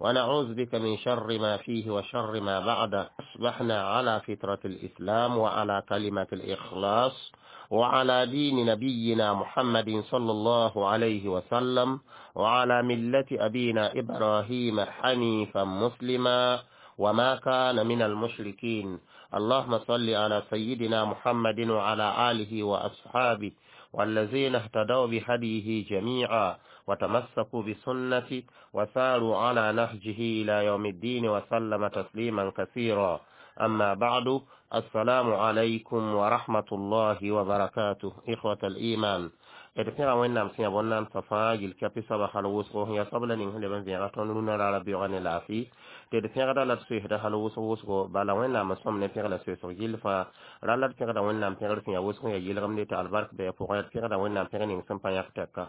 ونعوذ بك من شر ما فيه وشر ما بعده. أصبحنا على فطرة الإسلام وعلى كلمة الإخلاص وعلى دين نبينا محمد صلى الله عليه وسلم وعلى ملة أبينا إبراهيم حنيفا مسلما وما كان من المشركين. اللهم صل على سيدنا محمد وعلى آله وأصحابه والذين اهتدوا بهديه جميعا وتمسكوا بسنته وساروا على نهجه إلى يوم الدين وسلم تسليما كثيرا. أما بعد، السلام عليكم ورحمة الله وبركاته. إخوة الإيمان، d pẽga Wẽnnaam sẽn yaa bõn-naamsã fãa yel kɛpɩ soaba hal wʋsgo yaa soab la ning sẽn leb n vẽega tõnd rũnã raara beoogã ne laafɩ tɩ d pẽgda la d soeesda hal wʋsg wʋsgo. Bala Wẽnnaam n sõm ne pẽg la soeesg gill fãa ra la d pẽgda Wẽnnaam pẽgr sẽn yaa wʋsg yaa yelgemde tɩ albark bɩ a pʋgẽ. D pẽgda Wẽnnaam pẽg ning sẽn pa yãk tɛka.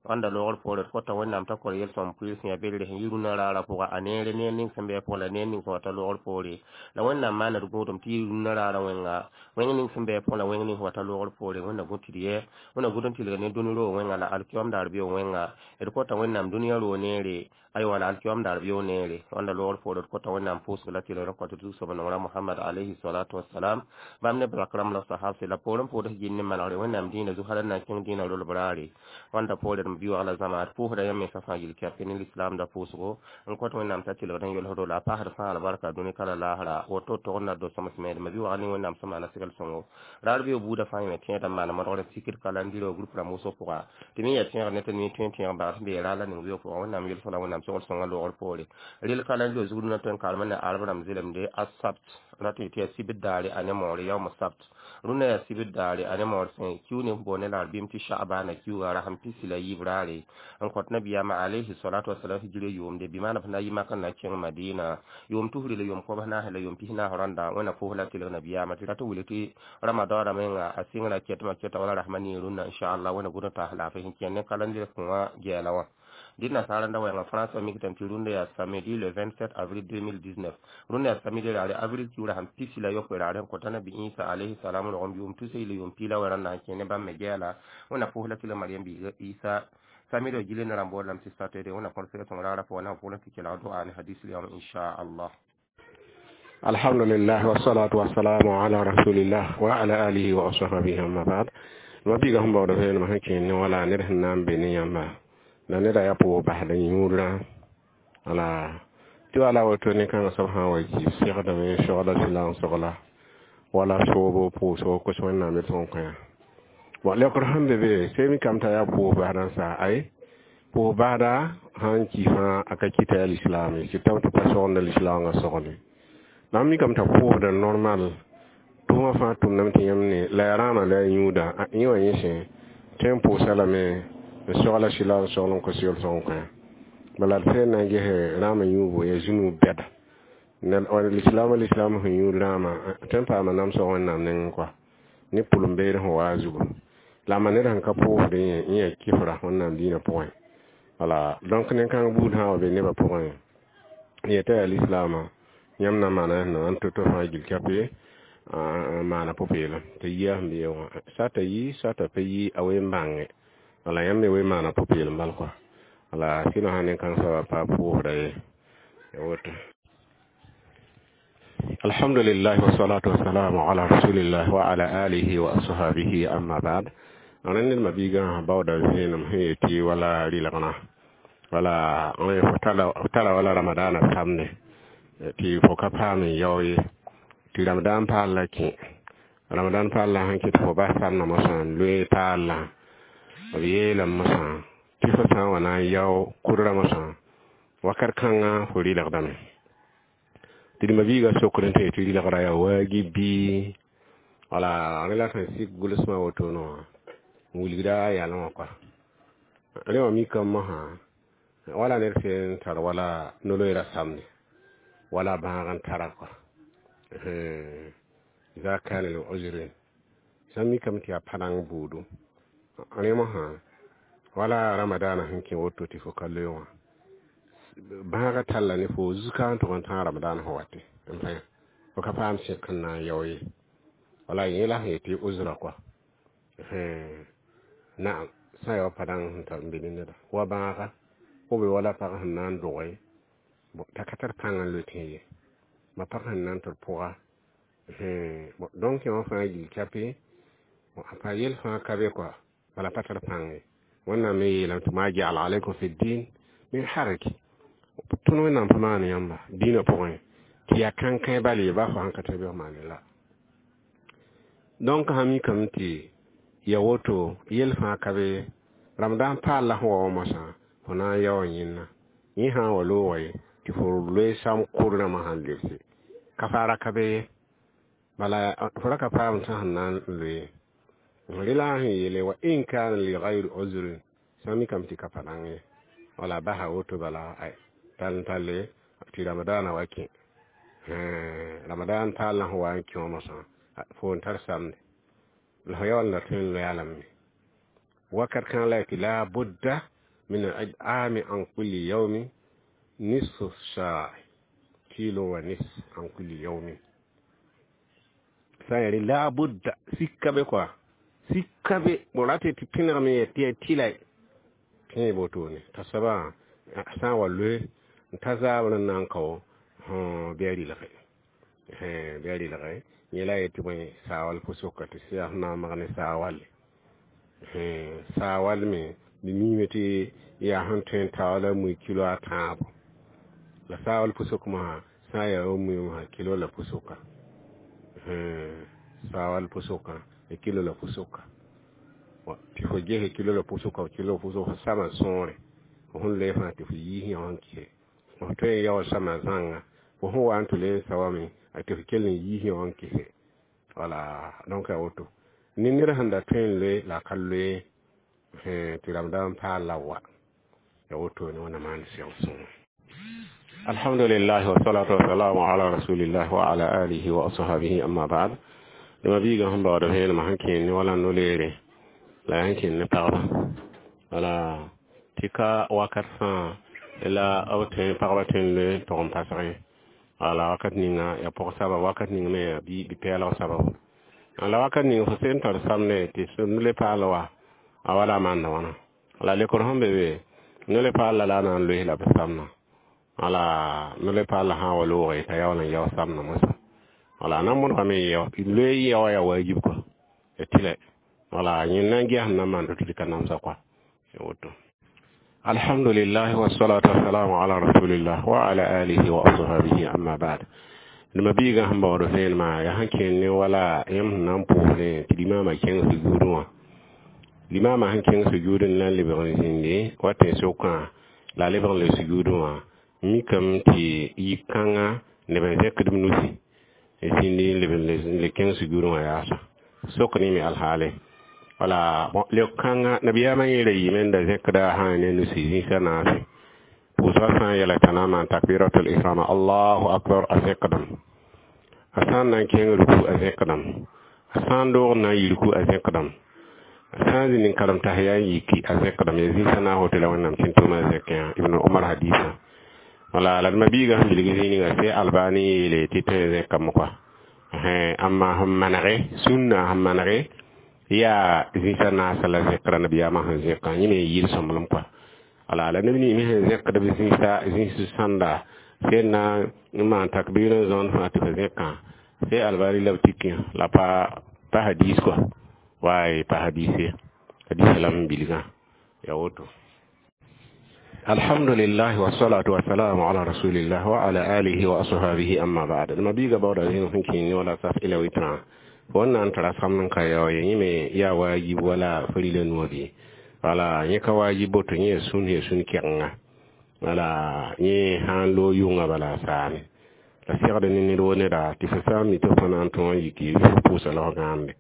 Wãnda loogr poore d kota Wẽnnaam t'a kor yel-sõm pʋɩɩr sẽn yaa belre sẽn yi rũnã raarã pʋga a neere neer ning sẽn be a pʋgẽ la neer ning sẽn wa ta loogr poore la Wẽnnaam maana d gũudum tɩ yi rũnã raarã wẽnga wẽng ning sẽn be a pʋgẽ la wẽng ning sẽn wa ta loogr poore. Wẽnna gũ tɩ d yɛ, Wẽnna gũd n tɩlg ne dũni roog wẽnga la alkiyoam daar beo wẽnga. D kota Wẽnnaam dũniyã roog neere, aywa, la alkiyoam daar beo neere. Wãnda loogr poore d kota Wẽnnaam pʋʋsg la tɩlgr n kõt d zu-soab nongrã Mohamad alayhi salatu wasalam, bãmb ne brak rãmb la sahabse la poorẽ pʋʋds gil ne manegre Wẽnnaam dĩinã zu hal n na n kẽng dĩinã rolb raare. Wãnda poore D bi wagla zãma d pʋʋsda yãmb mensã fãa yel kɛp ne lislaamda pʋʋsgo n kõt Wẽnnaam t'a tɩlgd n yolsdo la a paasd fãa albarka dũni ka la laasra. Woto tog n na do sõmsme d ma bi wagl ne Wẽnnaam sẽn maana segl sõngo raar beo buudã fãa yẽme tẽedã n maana modgr sikd kalandiro group rãmb wʋsg pʋga tɩ me yaa tẽegr ne tɩ mi tõe n tẽeg bags sẽn be raar la ning weo pʋga Wẽnnaam yelsg la Wẽnnaam sogl sõngã loogr poore rel kalandiro zug rũnã tõe n karem ne arb rãmb zelemde a sabt rat tɩ yaa sibd daare a ne moore yaoom sabt rũnã yaa sibd daare a ne moor sẽ kiu ne boone la r bɩm tɩ sha'bana kiuga rasem pisi la yiib raare n kõt nabiyaamã alayhi salatu wasalam hijra yʋʋmde bɩ maan b na yɩ makr na kẽng Madina yʋʋm tusri la yʋʋm kobs naasẽ la yʋʋm pis naas rãnda. Wẽnna pʋʋs la tɩlg nabiyaamã tɩ rat n wilg tɩ ramadan menga a sɩngrã kɛtmã kɛta wala rasmã nii rũnnã inchallah. Wẽnna gʋd n taas laafɩ sẽn kẽnd ne kalendir kõwã gɛɛla wã dɩd nasaara da wɛɛngã France mikame tɩ rũndã yaa samedi le 27 avril 2019, rũndã yaa samedi raare avril kiugrã sẽn pisi la yopoe raare n kõta nabi Isa alayhi salam rogem yʋʋm tus la yʋʋm piila wɛ rãnda sẽn kẽ ne bãmb me gɛɛla. Wẽnna pʋʋs la tɩ la Mariam biiga Isa samedi gile ne rãmb boodlame tɩ saturday. Wẽnna kõr sɛgɛ sõng raarã pʋgã na pʋgẽ tɩ kelg doa ne hadis yam inchallah. Alhamdulillah, wassalatu wassalamu ala rasulillah wa ala alihi wa ashabihi, amma ba'd. Ma biiga sẽn baood vẽenemã sẽn kẽer ne wala ned sẽn na n be ne yãmba la neda yaa pʋʋs basd yũudrã wala tɩ wala woto ne-kãngã soab sã n wa ki segdame sogla sɩla n sogla wala soobo pʋʋsgo kos Wẽnnaam d sõn kõ bon leokr sẽn be be sẽn mikame t'a yaa pʋʋs basdã n sa ay pʋʋs basda sãn ki fãa a ka kɩta yaa lislaam ye tɩ tɩ pa sogenda lislaangã sogle la mikame t'a pʋʋsda normal tʋʋmã fãa tʋmdame tɩ yãmb ne la yaa rãamã la yaa yũuda yẽ wã yẽ sẽ tõe n pʋʋsa lame n sogla sɩla n sogl n kos yel sõng kõ bala d sẽn na n ges rãamã yũubo yaa zũnug bɛda lislaamã lislaam sẽn yũud rãamã tõe n paama namsg Wẽnnaam nengẽ kɔa ne pʋlem-beed sẽn waa a zugu la ma ned sẽn ka pʋʋsd yẽ yã kɩfra Wẽnnaam diinã pʋgẽ. Wala donc nen-kãng buud sã n wa be nebã pʋgẽ yeta yaa lislaamã yãmb na n maana n to-to fãa gil kape n maana pʋ-peelem t'a yia sẽn be wã sata yi sata pa yi a wen bãnge wala yãmb me wen maana pʋ-peelem bal kɔa wala sɩnõ sã nen-kãng soaba pa pʋʋsda ye ya woto. Alhamdulillah, wassalatu wassalamu ala rasulillah wa ala alihi wa ashabihi, amma ba'd. Rẽnd ned ma-biigã baooda vẽenem sẽn yetɩ wala rɩlgna wala fo tara wala ramadana samde tɩ fo ka paam n yao ye tɩ ramadan paal la kẽ ramadan paal la sẽn kɩ tɩ fo bas samdã mosã n loe paal la b yeelame mosã tɩ fo sã n wa na n yao kʋdrã mosã wakat kãngã fo rɩlgdame tɩ d ma-biigã sokd n tɩ tɩ rɩlgrã yaa waagib bɩ wala rẽ la sẽn sik gʋlsmã wotone wã n wilgda a yalẽ wã kɔa rẽ wã mikame mosã wala ned sẽn tar wala no-loeera samde wala bãag n tara kɔa iza kana li uzrin sã mikame tɩ yaa pa-dãng buudu rẽ mosã wala ramadana sẽn kẽ woto tɩ fo ka loe wã bãagã talla ne fo zuka n tʋg n tãag ramadan sẽn wate n pã fo ka paam sẽk n na n yao ye wala yẽ la sẽn yetɩ uzra kɔa naam sã n ya wa pa-dãng sẽn tar n be ne neda wa bãaga fo be wala pag sẽn na n doge t'a ka tar pãng n loe tẽ ye ma pag sẽn na n tɩ d pʋga. Donc yã wã fãa gil kape a pa yel fãa ka be kɔa bala pa tar pãng ye. Wẽnnaam me yeelame tɩ ma jaala alaykum fi din min haraj tõnd Wẽnnaam pa maan yãmba dĩinã pʋgẽ tɩ yaa kãnkãe bal ye ba fo sãn ka tɩ bɩ maane la. Donc sã mikame tɩ ya woto yel fãa ka be ramadan paal la sẽn wa wã mosã fo na n yaoɔ yẽnna yẽ sã n wa loogã ye tɩ fo loe sam kʋr rãmbã sãn lebse ka faara ka be ye bala fo ra ka paam tɩ sẽn na n loe rela sẽn yeele wa in kana li gayri uzrin sã mikame tɩ ka pa dãng ye wala basa woto bala ay tall n talle tɩ ramadana wa kẽ ramadan paal la sẽn wa n kẽ wã mosã fo n tar samde la fo yaool n da tõe n loe lame wakat kãng la tɩ la budda min al-it'ami an kulli yawmin nisfu saa kilo wa nis an kulli yawmin sã n yaa la budda sika be kɔa sika be bõ rate tɩ pẽnegame yaa tɩ yaa tɩla tẽ wotone t'a soabã sã n wa loe n ta zaabr n na n kao bɩ a rɩlge bɩ a rɩlge yẽ la yetɩ bõe saawal pʋsʋka tɩ sɩ yaa sẽn na n mag ne saawale saawal me D miime tɩ yaa sẽn tõe n taoor la mui kilo a tãabo la saawal pʋsʋk mosã sã n yaa wa mui mosã kilo la pʋsʋka saawal pʋsʋkã kilo la pʋsʋka tɩ fo gese kilo la pʋsʋka kilo la pʋsʋka sama sõore fo sẽn loe fãa tɩ fo yiis yõ n kɩse fo tõe n yaool sama zãnga fo sẽn wa n tɩ le n sa wame tɩ fo kell n yiis yõ n kɩse wala donc a woto ne ned sẽn da tõe n loe la a ka loe tɩ rãmb n paal la wa ya woto ne wẽnnaam maan sɛg sõngo alhamdulillah wasalatu wasalamu ala rasulillah wa ala alihi wa ashabihi amma ba'd dama biiga sẽn baood vẽenemã sẽn kẽen ne wala no-leere la yaa sẽn kẽen ne pagba wala tɩ ka wakat fãa la b tõe pagba tõe n loe tog n pasg ye wala wakat ninga ya pʋg saba wakat ning me ya bi-pɛɛlg sababu la wakat ning fo sẽn tar samne tɩ le paal wa a wala maanda wãna la lekr sẽn be be no le paal la la a na n loes la b samna wala no le paal la sã n wa looge t'a yaool n yao samna moasã wala na n mõdgame loe yaoa yaa wajib kɔ ya tɩlɛ wala yẽnd na n ges na n maan tɩ ka namsa kɔa ya woto alhamdulillah wassalatu wassalamu ala rasulillah wa ala alihi wa ashabihi amma ba'd nima biiga sẽn baood vẽenemã yaa sẽn kẽen ne wala yãmb sẽn na n pʋʋsdẽ tɩ limaamã kẽng sujuudẽ wã limaamã sẽn kẽng sujuudẽ la n lebg n zĩndi wa tẽ sokã la a lebg n le sujuudẽ wã mikame tɩ yik-kãngã neb n zẽkd b nusi n zĩndi n leb n le kẽng sujuudẽ wã yaasa sok ne me alhaale wala leok-kãngã nabiyaamã yẽra yiime n da zẽkda sã ne nusi zĩisa naase pʋʋsgã sã n yɛla t'a na n maan takbiratul ihram allahu akbar a zẽkdame a sã n na n kẽng ruku a zẽkdame a sã n doog n na n yi ruku a zẽkdame a sã n zĩnd n karem tahiya n yiki a zẽkdame ya zĩisa na n woto la wẽnnaam tẽn-tʋʋmã zẽkẽ ibn omar hadisa wala la d ma-biigã sẽn bilg zĩig ninga se albani yeele tɩ tõe n zẽkame kɔa amma sẽn manege sũnna sẽn manege yaa zĩisa naasã la zẽkra nabiyaamã sẽn zẽkã yẽ me yɩl sõmblem kɔa wala la neb nins me sẽn zẽkd b zĩisa zĩis sãnda sẽn na n maan takbir n zõond fãa tɩ f zẽkã se albani la b tikẽ la pa pa hadis kɔa waay pa hadis ye hadis la m bilgã ya woto alhamdulillah wassalatu wassalamu ala rasulillah wa ala alihi wa ashabihi amma ba'd ma biiga bawda zĩig sẽn kẽen ne wala saf ila witrã fo n na n tara samd n ka yao ye yẽ me yaa wajib wala farila nuwã bɩ wala yẽ ka wajib boto yẽ ya sũn ya sũn kɛgenga wala yẽ sã n loog yʋnga bala a saame la segd ne ned wo neda tɩ fo sã n mi tɩ fo na n tõog n yiki fo pʋʋsa laog gãande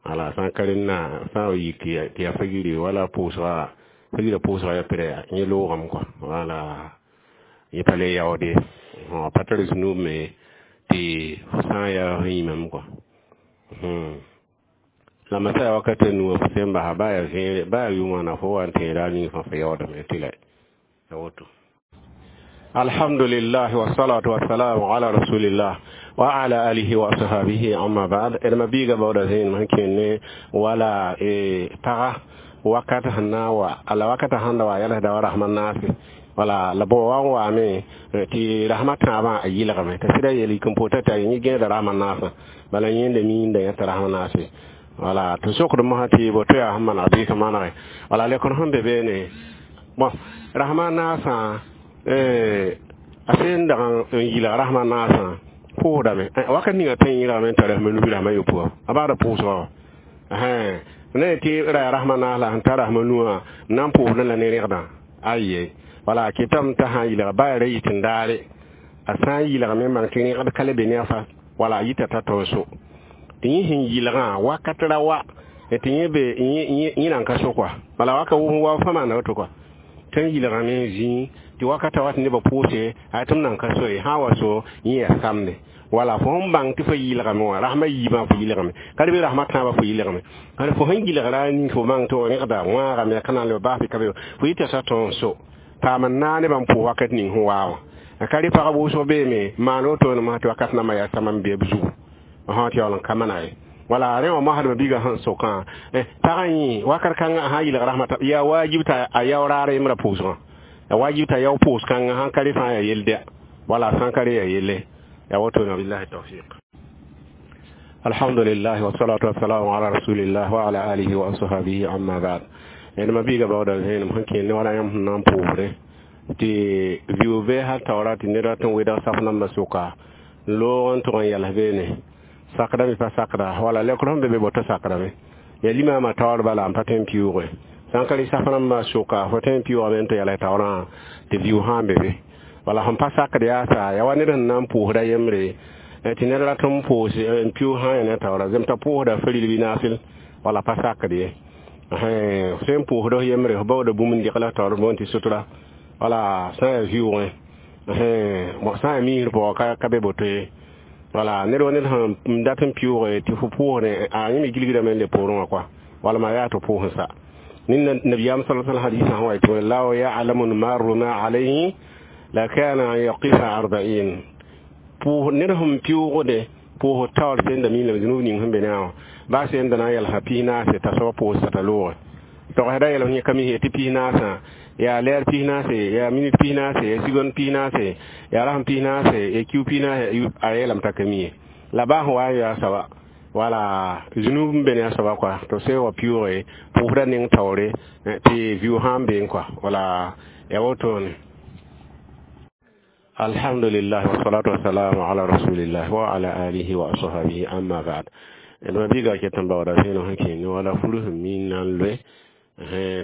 wala sã n ka rẽnna sã n yiki tɩ yaa fagiri wala pʋʋsga fagira pʋʋsga yaa pɩrɛ yẽ loogame kɔa wala yẽ pa le yaoode pa tar zũnub me tɩ fo sã n yaa fo yĩmame kɔa la masaya wakat a nuwã fo sẽn basa baa yaa vẽere baa yaa yʋ-wãna fo wa n tẽeda a ning fãa fo yaoodame tɩ la ya woto alhamdulillah wassalatu wassalamu ala rasulillah wa ala alihi wa ashabihi amma ba'd d ma biiga baooda zẽenem sẽn kẽen ne wala paga wakat sẽn na n wa la wakata sãn da wa yɛlsda wa rasmã naase wala la bõ wa n waame tɩ rasmã tãabã a yɩlgame t'a sɩda yel yik n pota t'a yẽ gẽeda rasmã naasã bala yẽnda miinda yẽta rasmã naase wala tɩ sokd mosã tɩ bo to yaa sẽn maneg bɩ ka manege wala lekr sẽn be beene bon rasmã naasã a sẽn dag n yɩlg rasmã naasã pʋʋsdame wakat ninga tõe n yẽlgame n tar rasmã nubi rasmã yopoa a baada pʋʋsgã wã ne tɩ ra rasmã naas la sẽn tar rasmã nuwã n na n pʋʋsdẽ la ne rẽgdã aye wala kɩtame t'a sã n yɩlga baa ra yit n daare a sã n yɩlgame n maan tɩ rẽgd ka le be ne a fa wala a yita t'a tõe so tɩ yẽ sẽn yɩlgã wakat ra wa tɩ yẽ be yẽ nan ka so kɔa bala waka wʋsẽ wa fãa maanda woto kɔa tɩ n yɩlgame n zĩig tɩ wakata wat nebã pʋʋse a tɩ m nan ka so ye sã n wa so yẽ yaa samde wala fo sẽn bãng tɩ fo yɩlgame wã rasmã yiibã fo yɩlgame ka bɩ rasmã tãabã fo yɩlgame ka fo sẽn yɩlgra ning fo bãng tɩ rẽgda wãagame ka na n leb baas bɩ ka be fo yita t'a tõog n so paam n naa nebã n pʋʋs wakat ning sẽn waa wã ka rɩ pagb wʋsg beeme maan wotone mosã tɩ wakat nambã yaa sama n be b zugu tɩ yaool n ka mana ye wala rẽ wã mosdmã biigã sẽn sokã pagã yẽ wakat kãngã sã n yɩlg rasmã yaa wajib t'a a yao raar yembrã pʋʋsgã ya wajib t'a yao pʋʋs kãngã sãn ka rɩ fãa yaa yell dɛ wala sãn ka rɩ yaa yelle ya woto na billahi tawfiq alhamdulillah wassalatu wassalamu ala rasulillah wa ala alihi wa ashabihi amma ba'd Ma biiga baooda vẽenem sẽn kẽer ne wala yãmb sẽn na n pʋʋsdẽ tɩ vɩʋ bɩ hal taoora tɩ ned rat n wedg saf nambã sʋka n loog n tʋg n yals beene sakdame pa sakda wala lekr sẽn be be boto sakdame ya limaamã taoor bala n pa tõe n pɩʋʋge sãn ka rɩ saf rãmbã sʋka fo tõe n pɩʋʋgame n tɩ yals taoorã tɩ vɩʋ sã n be be wala sẽn pa sakd yaa sa ya wa ned sẽn na n pʋʋsda yembre tɩ ned rat n pʋʋs n pɩʋʋg sã n ya ne taoora zem t'a pʋʋsda faril bɩ naasel wala pa sakd ye sẽn pʋʋsd f yembre f baooda bũmb n dɩgl f taoor boond tɩ sutura wala sã n yaa vɩʋʋgẽ sã n yaa miisr pʋgã ka be boto ye wala ned wa ned sẽn dat n pɩʋʋge tɩ fo pʋʋsdẽ a yẽ me gilgdame n le poorẽ wã kɔa wala ma yaa tɩ pʋʋs n sa نبيام صلى الله عليه وسلم هو يقول لو يعلم المار ما عليه لكان أن يقف 40 بو نرهم بيوغده بو تاور سند مين لم ذنوب نيهم بناو با سند نا يلها بينا ستسوا بو ستلو تو هذا يلهم يكمي هي تبينا سا يا لير بينا سي يا مينيت بينا سي يا سيغون بينا سي يا رحم بينا سي يا كيو بينا ايلم تكمي لا با هو يا سوا wala zunub n be ne a soaba kɔa tɩ sẽn wa pɩʋʋge pʋʋsda ning taoore tɩ vɩʋ sã n beẽ kɔa wala ya wotone alhamdulillah wassalatu wassalamu ala rasulillah wa ala alihi wa ashabihi amma ba'd ma biiga ket n baooda vẽenem sẽn kẽe ne wala furu sẽn mi n na n loe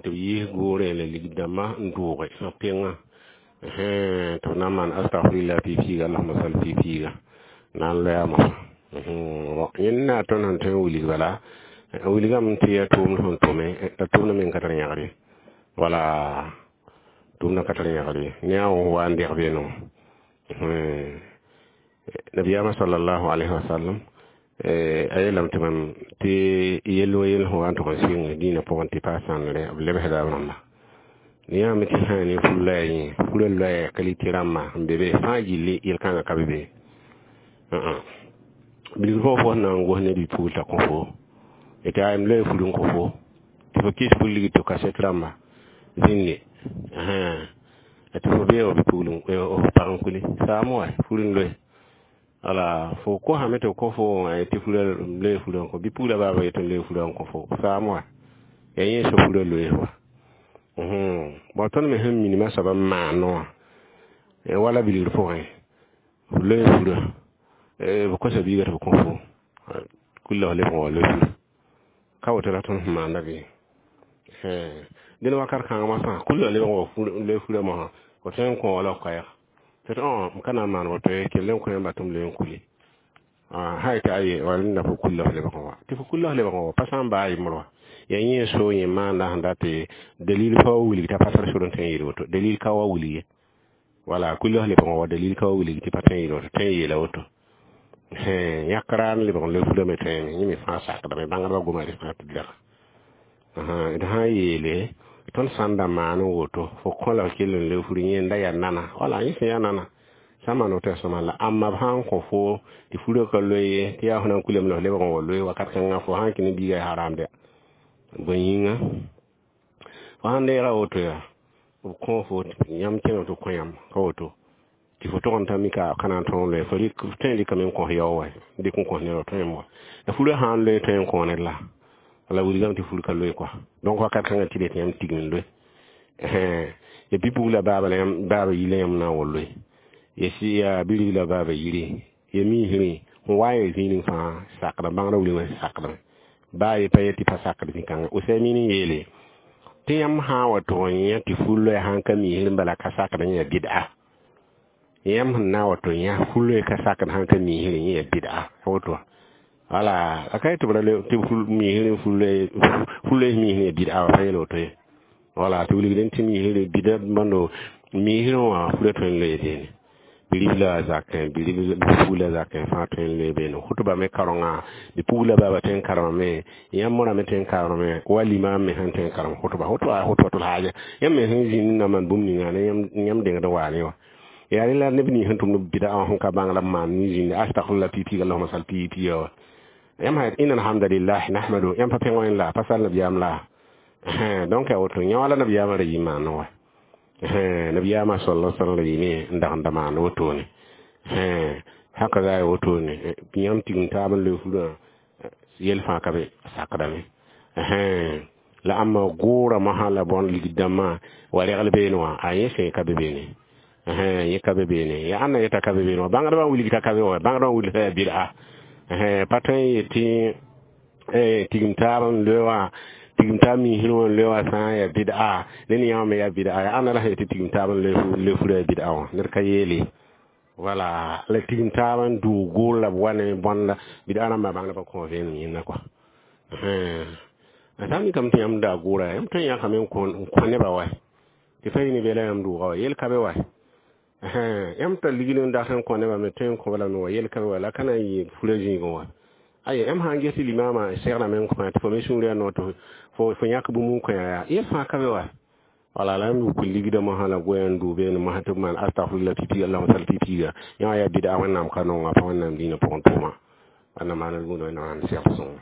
tɩ b yiis goorẽ la ligd-dãmbã n dʋʋge b pengã tɩ b na n maan astagfirila piig-piiga allahuma sal piig-piiga na n loeama yẽnd na tõnd sẽn tõe n wilg bala wilgame tɩ yaa tʋʋmd sẽn tʋme la tʋʋmdã meng ka tar yãgr ye wala tʋʋmdã ka tar yãgr ye ne a wa n deg beeno nabiyaamã sallallahu alayhi wa sallam a yeelame tɩ mam tɩ yell wa yell sẽn wa n tʋg n sɩng dĩinã pʋgẽ tɩ pa sãnre b lebsda b rãmba yãame tɩ sã ne fur loɛɛ yẽ furã loɛɛ kalite rãmba n be be fãa gilli yel-kãngã ka be be bilg fo fo na n gos ne bi-pugl t'a kõ fo tɩ a m loe fur n kõ fo tɩ fo kɩs fur lig tɩ kaset rãmba zĩnde tɩ fo beego bi-pugl f pag n kuli saam wa fur n loe wala fo kosame tɩ kõ fo tɩ fura loe furã n kõ bi-puglã baaba yetɩ n loe furã n kõ fo saam wa ya yẽ so furã loe wa bõ tõnd me sẽn minimã soab n maan wã wala bilgr pʋgẽ f loe furã b kosa biiga tɩ b kõ fo kulla f lebg wa loe fur ka woto la tõnd sẽn maanda bɩ dẽn wakat kãngã masã kulla lebg wa loe furã mosã fo tõe n kõ wala f koɛɛg tɩ tɩ m ka na n maan woto ye kell n kõ yãmba tɩ m loe n kuli sã yetɩ aye wala neda fo kulla f lebg wa tɩ fo kulla f lebg wa pa sã n baa yembr wa ya yẽ so yẽ maanda sẽn dat dalil pa wa wilg t'a pa tar sor n tõe n yeel woto dalil ka wa wilg ye wala kulla f lebg wa dalil ka wa wilg tɩ pa tõe n yeel woto tõe n yeela woto yãk raam lebg n loe furame tõeme yẽ me fãa sakdame bãngdbã goma rɩ fãa tɩ dɛga d sã n yeele tõnd sãn da maan n woto fo kõ la f kell n loe fur yẽnda yaa nana wala yẽ sẽn yaa nana sã n maan woto yaa sõma la ãmba b sã n kõ fo tɩ furã ka loe ye tɩ yaa fo na n kulame la f lebg n wa loe wakat kãngã fo sã n kẽ ne biiga yaa haramda bõe yĩnga fo sãn deega woto yaa b kõ fo yãmb kẽngame tɩ b kõ yãmb ka woto tɩ fo tʋg n ta mika ka na n tõog loe fo tõe n rɩkame n kõs yao wa dɩk n kõs ned wa tõe n wa la furã sã n loe tõe n kõ ned la la wilgame tɩ fur ka loe kɔa donc wakat kãngã tɩ tɩ yãmb tigm n loe ya bi-puglã baaba la yãmb baaba yila yãmb na n wa loe ya yaa bi-riblã baaba yiri ya miisrẽ n wa n ya zĩig fãa sakdã bãngrã wilgmã sakdame baa ye pa ye tɩ pa sakd zĩ-kãngã Usaymin n yeele tɩ yãmb sã n wa tʋg n yã tɩ fur loɛɛ sã n ka miisr n bala ka sakd yã bɩda yãmb sẽn na n wa tɩ yã fur loɛɛ ka sakd sã n ka miisr yẽ yaa bɩda woto wala a ka tɩ b ra tɩ miisr fur loɛɛ miisr yaa bɩda wa pa yeel woto ye wala tɩ wilgdẽ tɩ miisr bɩda bãndo miisrẽ wã furã tõe n loe beene bi-ribla zakẽ bi-pugla zakẽ fãa tõe n loe beene hʋtba me karengã bi-pugla baaba tõe n karemame yãmb morã me tõe n karemame wa limaam me sẽn tõe n karem hʋtba hʋtba hʋtbatul haaja yãmb me sẽn zĩnd na maan bũmb ninga ne yãmb dengd n waa ne wã yaa rẽ la neb nins sẽn tʋmd bɩda wã sẽn ka bãng la b maan ne zĩnd astagfirla piig-piiga allahuma sal piig-piiga wa yãmb sã inna alhamdulillah nahmadu yãmb pa pẽng wẽnd la pa sal nabiyaam la donc yaa woto yã wala nabiyaamã ra yɩ maan wa nabiyaamã sallallahu alaihi wasallam ra yɩme n dag n da maan wotone haka za ya wotone yãmb tigim taab n loe furã yel fãa ka be sakdame La ãmba goora mosã la bõn ligd dãmbã wa regl beene wã, a yẽ sẽn ka be beene, yẽ ka be beene. Ya ãnna yeta ka be beene wã? Bãngdbã n wilg t'a ka be wã, bãngdbã n wilg t'a yaa bɩd'a. Pa tõe n yet tɩ tigim taab n loe wã, tigim taab miisr wã n loe wã sã n yaa bɩd'a, ne ne yã me yaa bɩd'a. Yaa ãnna la sẽn yet tɩ tigim taab n loe furã yaa bɩd'a wã? Ned ka yeele. Wala la tigim taab n doog goor la b wa ne bõnda bɩd'a rãmbã, bãngdbã kõ vẽenem yẽnda kɔa. A sã n mikame tɩ yãmb daa goora, yãmb tõe n yãkame n kõ nebã wa tɩ fa yɩ ne bela yãmb doogã wa, yel ka be wa. Yãmb tar ligd n dat n kõ nebã me, tõe n kõ lame wa, yel ka be wa. La ka na n yɩ furã zĩigẽ wa. Aye, yãmb sã n ges limaamã segrame n kõ tɩ fo me sũur yaa no tɩ fo yãk bũmb n kõ yaa, yel fãa ka be wa. Wala la yãmb wuk ligdã mosã la goɛɛ n dʋʋ beene mosã tɩ b maan astagfirullah pipiga, allahuma sal pipiga, yã wã yaa bɩd'a. Wẽnnaam ka nonga, pa Wẽnnaam dĩinã pʋgẽ tʋʋma. Wẽnnaam maan d gũud, Wẽnnaam maan segd sõngo.